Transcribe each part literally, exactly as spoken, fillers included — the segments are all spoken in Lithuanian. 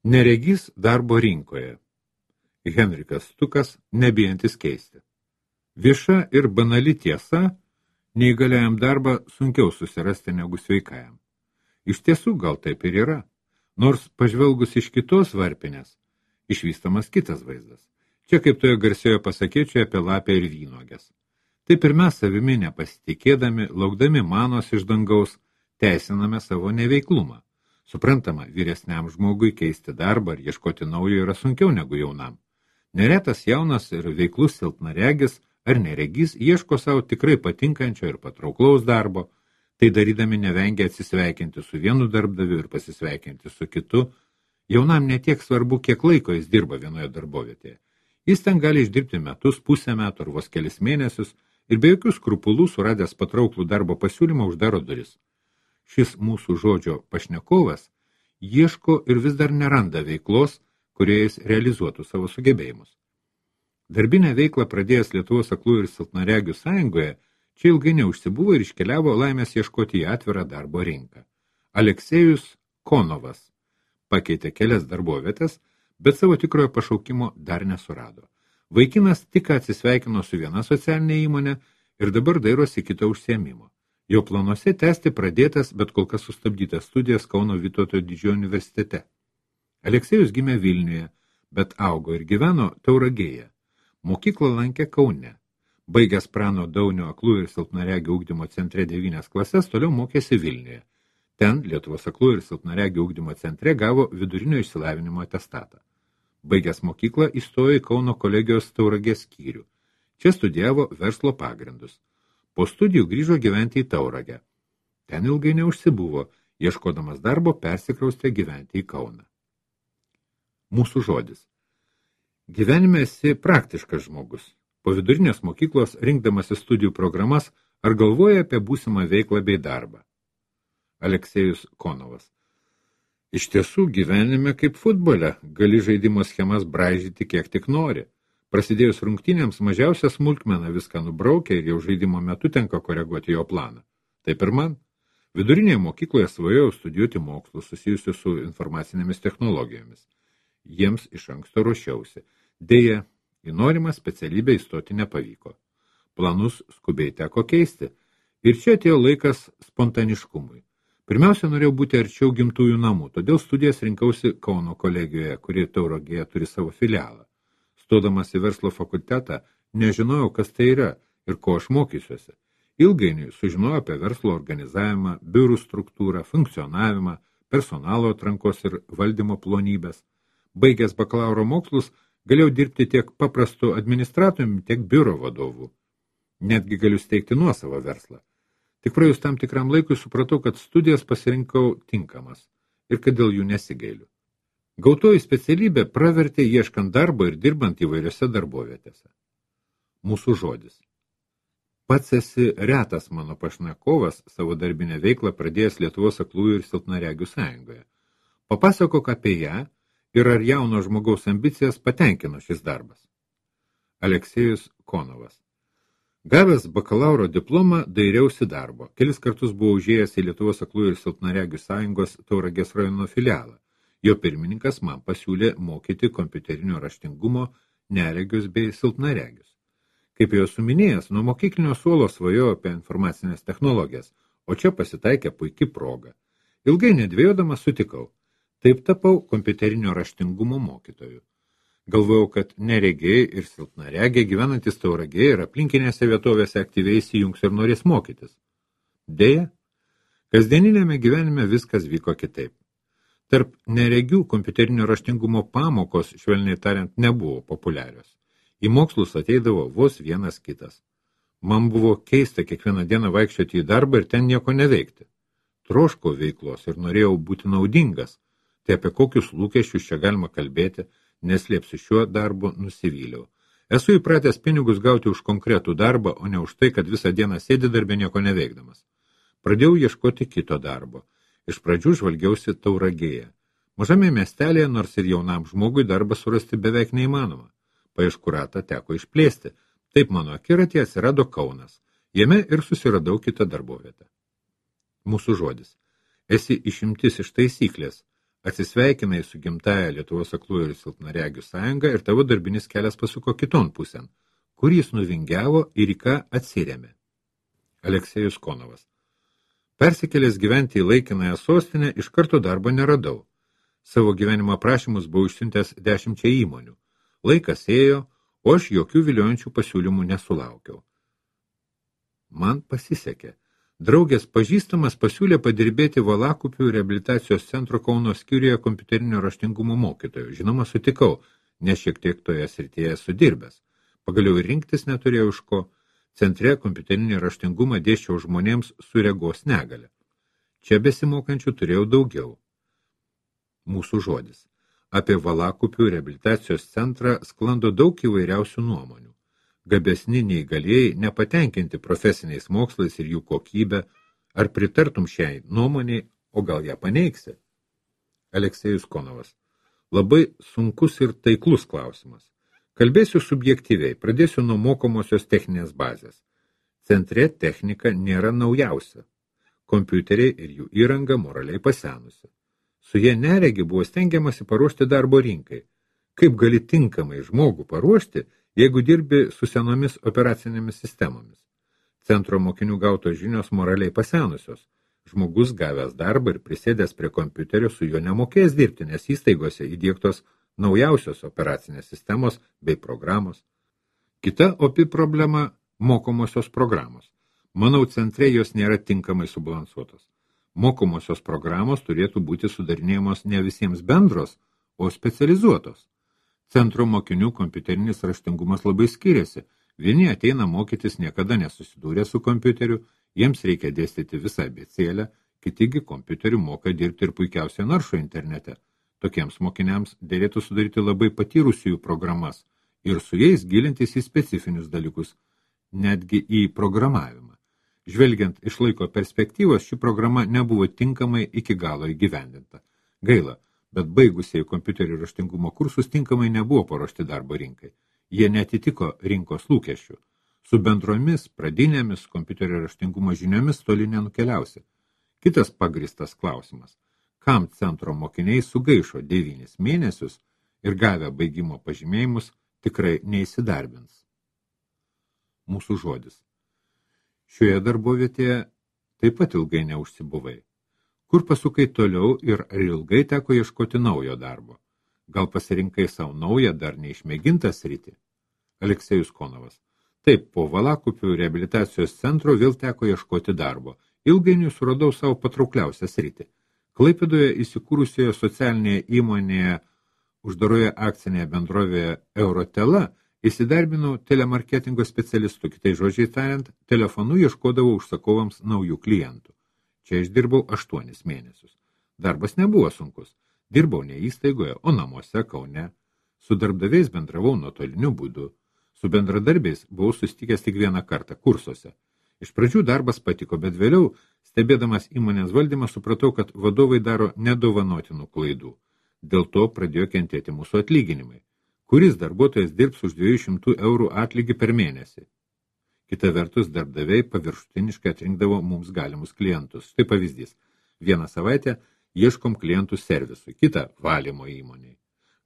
Neregys darbo rinkoje. Henrikas Stukas, nebijantis keisti. Vieša ir banali tiesa, neįgaliajam darbą sunkiau susirasti negu sveikajam. Iš tiesų gal taip ir yra, nors pažvelgus iš kitos varpinės, išvystamas kitas vaizdas. Čia kaip toje garsioje pasakėčioje apie lapę ir vynogės. Taip ir mes savimi nepasitikėdami, laukdami manos iš dangaus, teisiname savo neveiklumą. Suprantama, vyresniam žmogui keisti darbą ar ieškoti naujo yra sunkiau negu jaunam. Neretas jaunas ir veiklus silpnaregis ar neregys ieško savo tikrai patinkančio ir patrauklaus darbo, tai darydami nevengia atsisveikinti su vienu darbdaviu ir pasisveikinti su kitu. Jaunam netiek svarbu, kiek laiko jis dirba vienoje darbovietėje. Jis ten gali išdirbti metus, pusę metų ar vos kelis mėnesius ir be jokių skrupulų suradęs patrauklų darbo pasiūlymą uždaro duris. Šis mūsų žodžio pašnekovas ieško ir vis dar neranda veiklos, kurioje jis realizuotų savo sugebėjimus. Darbinę veiklą pradėjęs Lietuvos aklųjų ir silpnaregių sąjungoje, čia ilgai neužsibuvo ir iškeliavo laimės ieškoti į atvirą darbo rinką. Aleksejus Konovas pakeitė kelias darbovietės, bet savo tikrojo pašaukimo dar nesurado. Vaikinas tik atsisveikino su viena socialinė įmonė ir dabar dairosi kito užsiėmimo. Jo planuose tęsti pradėtas, bet kol kas sustabdytas studijas Kauno Vytauto Didžiojo universitete. Aleksejus gimė Vilniuje, bet augo ir gyveno Tauragėje. Mokyklą lankė Kaune. Baigęs Prano Daunio aklųjų ir silpnaregių ugdymo centre devynias klases, toliau mokėsi Vilniuje. Ten Lietuvos aklųjų ir silpnaregių ugdymo centre gavo vidurinio išsilavinimo atestatą. Baigęs mokyklą įstojo į Kauno kolegijos Tauragės skyrių. Čia studijavo verslo pagrindus. Po studijų grįžo gyventi į Tauragę. Ten ilgai neužsibuvo, ieškodamas darbo persikraustė gyventi į Kauną. Mūsų žodis. Gyvenime esi praktiškas žmogus. Po vidurinės mokyklos rinkdamasi studijų programas ar galvoja apie būsimą veiklą bei darbą. Aleksejus Konovas. Iš tiesų gyvenime kaip futbole, gali žaidimo schemas braižyti kiek tik nori. Prasidėjus rungtynėms mažiausia smulkmena viską nubraukia ir jau žaidimo metu tenka koreguoti jo planą. Taip ir man. Vidurinėje mokykloje svajojau studijuoti mokslus susijusius su informacinėmis technologijomis. Jiems iš anksto ruošiausi. Deja, į norimą specialybę įstoti nepavyko. Planus skubiai teko keisti. Ir čia atėjo laikas spontaniškumui. Pirmiausia, norėjau būti arčiau gimtųjų namų, todėl studijas rinkausi Kauno kolegijoje, kuri Tauragėje turi savo filialą. Stodamas į verslo fakultetą, nežinojau, kas tai yra ir ko aš mokysiuosi. Ilgainiui sužinojau apie verslo organizavimą, biurų struktūrą, funkcionavimą, personalo atrankos ir valdymo plonybės. Baigęs bakalauro mokslus, galėjau dirbti tiek paprastu administratoriumi, tiek biuro vadovu. Netgi galiu steigti nuosavą verslą. Tik praėjus tam tikram laikui supratau, kad studijas pasirinkau tinkamas ir kad dėl jų nesigailiu. Gautoji specialybė pravertė ieškant darbo ir dirbant įvairiose darbovietėse. Mūsų žodis. Pats esi retas mano pašnekovas savo darbinę veiklą pradėjęs Lietuvos aklųjų ir silpnaregių sąjungoje. Papasakok apie ją ir ar jauno žmogaus ambicijas patenkino šis darbas. Aleksejus Konovas. Gavęs bakalauro diplomą dairiausi darbo. Kelis kartus buvau užėjęs į Lietuvos aklųjų ir silpnaregių sąjungos Tauragės rajono filialą. Jo pirmininkas man pasiūlė mokyti kompiuterinio raštingumo neregius bei silpnaregius. Kaip jau suminėjęs, nuo mokyklinio suolo svajojau apie informacinės technologijas, o čia pasitaikė puiki proga. Ilgai nedvėjodamas sutikau. Taip tapau kompiuterinio raštingumo mokytoju. Galvojau, kad neregiai ir silpnaregiai gyvenantis Tauragėje ir aplinkinėse vietovėse aktyviai įsijungs ir norės mokytis. Deja, kasdieninėme gyvenime viskas vyko kitaip. Tarp neregių kompiuterinio raštingumo pamokos, švelniai tariant, nebuvo populiarios. Į mokslus ateidavo vos vienas kitas. Man buvo keista kiekvieną dieną vaikščioti į darbą ir ten nieko neveikti. Troškau veiklos ir norėjau būti naudingas. Tai apie kokius lūkesčius čia galima kalbėti, neslėpsiu šiuo darbu nusivyliau. Esu įpratęs pinigus gauti už konkretų darbą, o ne už tai, kad visą dieną sėdi darbė nieko neveikdamas. Pradėjau ieškoti kito darbo. Iš pradžių žvalgiausi Tauragėje. Mažame miestelėje, nors ir jaunam žmogui darbą surasti beveik neįmanoma. Paieškų ratą teko išplėsti. Taip mano akiratėje atsirado Kaunas. Jame ir susiradau kitą darbovietę. Mūsų žodis. Esi išimtis iš taisyklės. Atsisveikinai su gimtaja Lietuvos aklųjų ir silpnaregių sąjunga ir tavo darbinis kelias pasuko kiton pusėn, kur jis nuvingiavo ir į ką atsirėmė. Aleksejus Konovas. Persikėlęs gyventi į laikinąją sostinę, iš karto darbo neradau. Savo gyvenimo aprašymus buvau išsiuntęs dešimčia įmonių. Laikas ėjo, o aš jokių viliojančių pasiūlymų nesulaukiau. Man pasisekė. Draugės pažįstamas pasiūlė padirbėti Valakupių reabilitacijos centro Kauno skyriuje kompiuterinio raštingumo mokytojo. Žinoma, sutikau, nes šiek tiek toje srityje esu dirbęs. Pagaliau rinktis neturėjau iš ko. Centre kompiuterinį raštingumą dėsčiau žmonėms su regos negale. Čia besimokančių turėjau daugiau. Mūsų žodis. Apie Valakupių reabilitacijos centrą sklando daug įvairiausių nuomonių. Gabesni neįgalėjai nepatenkinti profesiniais mokslais ir jų kokybę, ar pritartum šiai nuomoniai, o gal ją paneigsi? Aleksejus Konovas. Labai sunkus ir taiklus klausimas. Kalbėsiu subjektyviai, pradėsiu nuo mokomosios techninės bazės. Centre technika nėra naujausia. Kompiuteriai ir jų įranga moraliai pasenusi. Su jie neregi buvo stengiamasi paruošti darbo rinkai. Kaip gali tinkamai žmogų paruošti, jeigu dirbi su senomis operacinėmis sistemomis? Centro mokinių gautos žinios moraliai pasenusios. Žmogus gavęs darbą ir prisėdęs prie kompiuterio su juo nemokės dirbti, nes įstaigose įdiegtos naujausios operacinės sistemos bei programos. Kita opi problema – mokomosios programos. Manau, centre jos nėra tinkamai subalansuotos. Mokomosios programos turėtų būti sudarinėjamos ne visiems bendros, o specializuotos. Centro mokinių kompiuterinis raštingumas labai skiriasi. Vieni ateina mokytis niekada nesusidūrę su kompiuteriu, jiems reikia dėstyti visą abėcėlę, kitigi kompiuteriu moka dirbti ir puikiausiai naršo internete. Tokiems mokiniams dėlėtų sudaryti labai patyrusiųjų programas ir su jais gilintis į specifinius dalykus, netgi į programavimą. Žvelgiant iš laiko perspektyvos, ši programa nebuvo tinkamai iki galo įgyvendinta. Gaila, bet baigusieji kompiuterių raštingumo kursus tinkamai nebuvo paruošti darbo rinkai. Jie netitiko rinkos lūkesčių. Su bendromis pradinėmis kompiuterio raštingumo žiniomis toli nenukeliausi. Kitas pagristas klausimas. Kam centro mokiniai sugaišo devynis mėnesius ir gavę baigimo pažymėjimus tikrai neįsidarbins? Mūsų žodis. Šioje darbovietėje taip pat ilgai neužsibuvai. Kur pasukai toliau ir ar ilgai teko ieškoti naujo darbo? Gal pasirinkai savo naują, dar neišmėgintą sritį? Aleksejus Konovas. Taip, po Valakupių reabilitacijos centro vėl teko ieškoti darbo. Ilgainiui suradau savo patraukliausią sritį. Klaipėdoje įsikūrusioje socialinėje įmonėje uždaroje akcinėje bendrovėje Eurotela įsidarbinau telemarketingo specialistų, kitai žodžiai tariant, telefonu ieškodavau užsakovams naujų klientų. Čia išdirbau aštuonis mėnesius. Darbas nebuvo sunkus. Dirbau ne įstaigoje, o namuose Kaune. Su darbdaviais bendravau nuotoliniu būdu. Su bendradarbiais buvau susitikęs tik vieną kartą kursuose. Iš pradžių darbas patiko, bet vėliau, stebėdamas įmonės valdymą, supratau, kad vadovai daro nedovanotinų klaidų. Dėl to pradėjo kentėti mūsų atlyginimai. Kuris darbuotojas dirbs už dviejų šimtų eurų atlygį per mėnesį? Kita vertus, darbdaviai paviršutiniškai atrinkdavo mums galimus klientus. Štai pavyzdys. Vieną savaitę ieškom klientų servisui, kitą valymo įmoniai.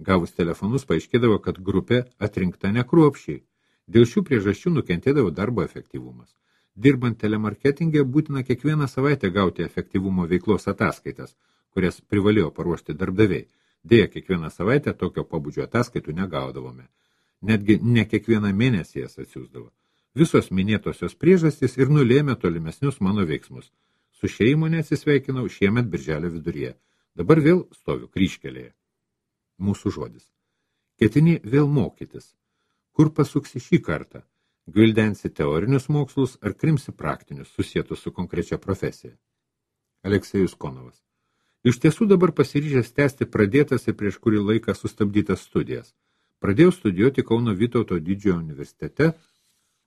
Gavus telefonus paaiškėdavo, kad grupė atrinkta nekruopščiai. Dėl šių priežasčių nukentėdavo darbo efektyvumas. Dirbant telemarketingė būtina kiekvieną savaitę gauti efektyvumo veiklos ataskaitas, kurias privalėjo paruošti darbdaviai. Deja, kiekvieną savaitę tokio pobūdžio ataskaitų negaudavome. Netgi ne kiekvieną mėnesį jas atsiųsdavo. Visos minėtosios priežastys ir nulėmė tolimesnius mano veiksmus. Su šia įmonė atsisveikinau šiemet birželio viduryje. Dabar vėl stoviu kryžkelėje. Mūsų žodis. Ketini vėl mokytis. Kur pasuksi šį kartą? Gvildensi teorinius mokslus ar krimsi praktinius, susietus su konkrečia profesija? Aleksejus Konovas. Iš tiesų dabar pasiryžęs tęsti pradėtas ir prieš kurį laiką sustabdytas studijas. Pradėjau studijuoti Kauno Vytauto didžiojo universitete,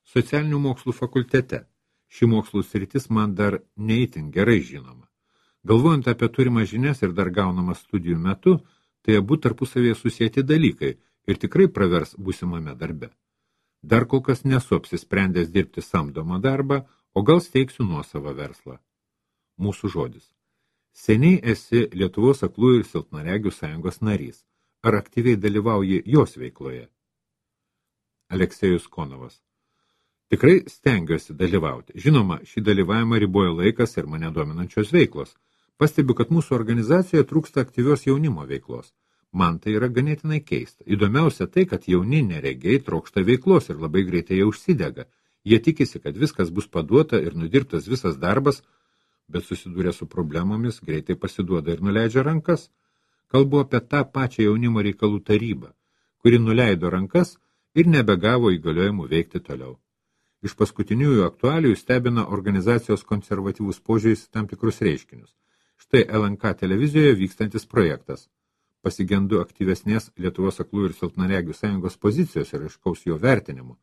socialinių mokslų fakultete. Ši mokslų sritis man dar neįtin gerai žinoma. Galvojant apie turimą žinias ir dar gaunamą studijų metu, tai abu tarpusavėje susieti dalykai ir tikrai pravers būsimame darbe. Dar kol kas nesu apsisprendęs dirbti samdomą darbą, o gal steigsiu nuosavą verslą. Mūsų žodis. Seniai esi Lietuvos aklųjų ir silpnaregių sąjungos narys. Ar aktyviai dalyvauji jos veikloje? Aleksejus Konovas. Tikrai stengiuosi dalyvauti. Žinoma, šį dalyvavimą riboja laikas ir mane dominančios veiklos. Pastebiu, kad mūsų organizacijoje trūksta aktyvios jaunimo veiklos. Man tai yra ganėtinai keista. Įdomiausia tai, kad jauni neregiai trokšta veiklos ir labai greitai jie užsidega. Jie tikisi, kad viskas bus paduota ir nudirbtas visas darbas, bet susidūrė su problemomis, greitai pasiduoda ir nuleidžia rankas. Kalbu apie tą pačią jaunimo reikalų tarybą, kuri nuleido rankas ir nebegavo įgaliojimų veikti toliau. Iš paskutiniųjų aktualijų stebina organizacijos konservatyvus požiūris tam tikrus reiškinius. Štai L N K televizijoje vykstantis projektas. Pasigendu aktyvesnės Lietuvos aklųjų ir silpnaregių sąjungos pozicijos ir aiškaus jo vertinimo.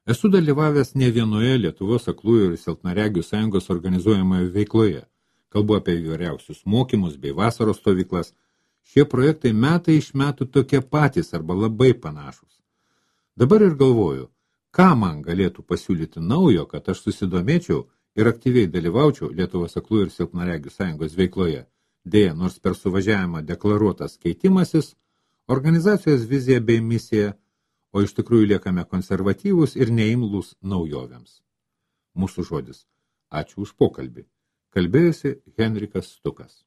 Esu dalyvavęs ne vienoje Lietuvos aklųjų ir silpnaregių sąjungos organizuojamoje veikloje. Kalbu apie įvairiausius mokymus bei vasaros stovyklas. Šie projektai metai iš metų tokie patys arba labai panašus. Dabar ir galvoju, ką man galėtų pasiūlyti naujo, kad aš susidomėčiau ir aktyviai dalyvaučiau Lietuvos aklųjų ir silpnaregių sąjungos veikloje. Deja, nors per suvažiavimą deklaruotas keitimasis, organizacijos vizija bei misija, o iš tikrųjų liekame konservatyvūs ir neimlūs naujovėms. Mūsų žodis. Ačiū už pokalbį. Kalbėjosi Henrikas Stukas.